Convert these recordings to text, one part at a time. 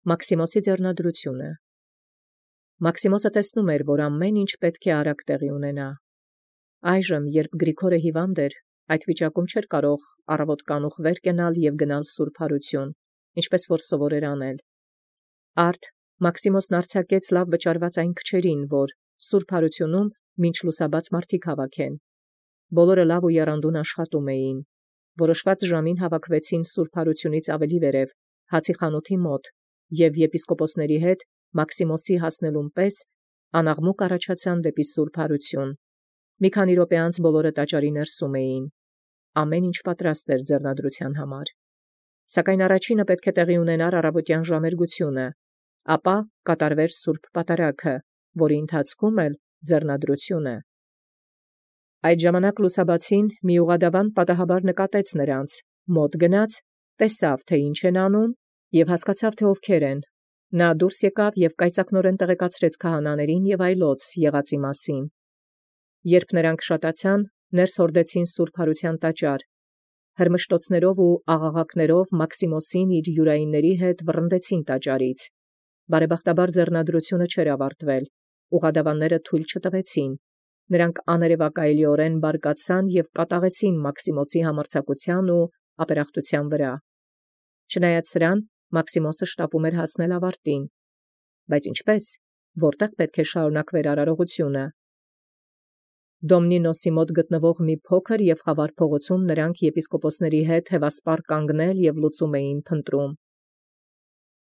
Մաքսիմոսի ձեռնադրությունը։ Մաքսիմոսը տեսնում էր, որ ամեն ինչ պետք է արագ տեղի ունենա։ Այժմ, երբ Գրիգորը հիվանդ էր, այդ վիճակում չէր կարող առավոտ կանուխ կենալ և գնալ սուրբ հարություն, ինչպես որ սովոր էր անել։ Արդ Մաքսիմոսն արձակեց լավ վճարված այն քչերին, որ սուրբ հարությունում մինչ լուսաբաց մարդիկ հավաքեն։ Բոլորը լավ ու եռանդուն աշխատում էին։ Որոշված ժամին հավաքվեցին սուրբ հարությունից ավելի վերև, հացի խանութի մոտ, և եպիսկոպոսների հետ Մաքսիմոսի հասնելուն պես անաղմուկ առաջացան դեպի սուրբ հարություն։ Մի քանի րոպե անց բոլորը տաճարի ներսում էին։ Ամեն ինչ պատրաստ էր ձեռնադրության համար։ Սակայն առաջինը պետք է տեղի ունենար առավոտյան ժամերգությունը, ապա կատարվեր սուրբ պատարագը, որի ընթացքում էլ ձեռնադրությունը։ Այդ ժամանակ լուսաբացին մի ուղղադավան պատահաբար նկատեց նրանց, մոտ գնաց, տեսավ, թե ինչ են անում, և հասկացավ, թե ովքեր են։ Նա դուրս եկավ և կայծակնորեն տեղեկացրեց քահանաներին և այլոց եղածի մասին։ Երբ նրանք շատացան, ներս հորդեցին սուրբ հարության տաճար, հրմշտոցներով ու աղաղակներով Մաքսիմոսին իր յուրայինների հետ վռնդեցին տաճարից։ Բարեբախտաբար ձեռնադրությունը չէր ավարտվել, ուղղադավանները թույլ չտվեցին։ Նրանք աներևակայելիորեն բարկացան և կատաղեցին Մաքսիմոսի համարձակության ու ապերախտության վրա։ Չնայած սրան, Մաքսիմոսը շտապում էր հասնել ավարտին։ Բայց ինչպե՞ս, որտեղ պետք է շարունակվեր արարողությունը։ Դոմնինոսի մոտ գտնվող մի փոքր և խավար փողոցում նրանք եպիսկոպոսների հետ հևասպար կանգնել և լուծում էին փնտրում։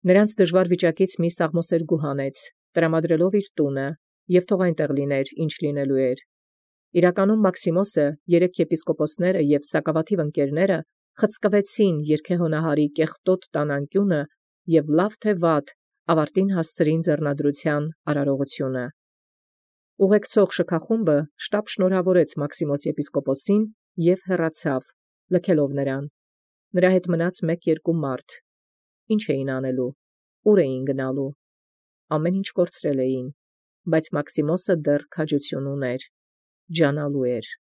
Նրանց դժվար վիճակից մի սաղմոսերգու հանեց, տրամադրելով իր տունը, և թող այնտեղ լիներ, ինչ լինելու էր։ Իրականում Մաքսիմոսը, երեք եպիսկոպոսները և սակավաթիվ ընկերները խցկվեցին երգեհոնահարի կեղտոտ տանանկյունը և լավ թե վատ ավարտին հասցրին ձեռնադրության արարողությունը։ Ուղեկցող շքախումբը շտապ շնորհավորեց Մաքսիմոս եպիսկոպոսին և հեռացավ, լքելով նրան։ Նրա հետ մնաց 1-2 մարդ։ Ինչ էին անելու, ուր էին գնալու։ Ամեն ինչ կորցրել էին, բայց Մաքսիմոսը դեռ քաջություն ուներ, ջանալու էր։